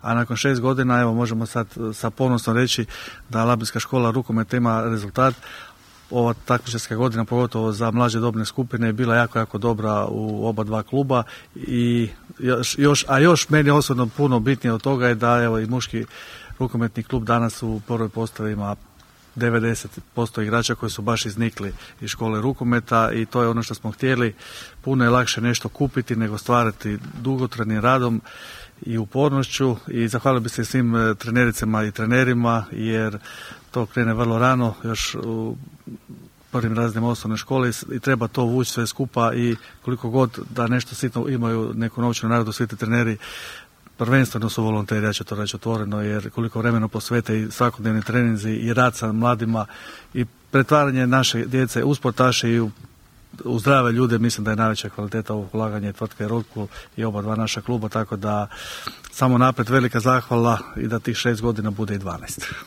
a nakon 6 godina evo možemo sad sa ponosom reći da Labinska škola rukometa ima rezultat. Ova takmičarska godina, pogotovo za mlađe dobne skupine, je bila jako, jako dobra u oba dva kluba i još meni osobno puno bitnije od toga je da evo i muški rukometni klub danas u prvoj postavi ima 90% igrača koji su baš iznikli iz škole rukometa i to je ono što smo htjeli. Puno je lakše nešto kupiti nego stvarati dugotrajnim radom i upornošću i zahvalio bih se svim trenericama i trenerima jer to krene vrlo rano, još u prvim razredima osnovne škole i treba to vući sve skupa i koliko god da nešto sitno imaju neku novčanu nagradu, svi ti treneri prvenstveno su volonteri, ja ću to reći otvoreno, jer koliko vremena posvete i svakodnevni treninzi i rad sa mladima i pretvaranje naše djece u sportaše i u zdrave ljude, mislim da je najveća kvaliteta ovog ulaganja tvrtke Rockwool i oba dva naša kluba, tako da samo naprijed velika zahvala i da tih 6 godina bude i 12.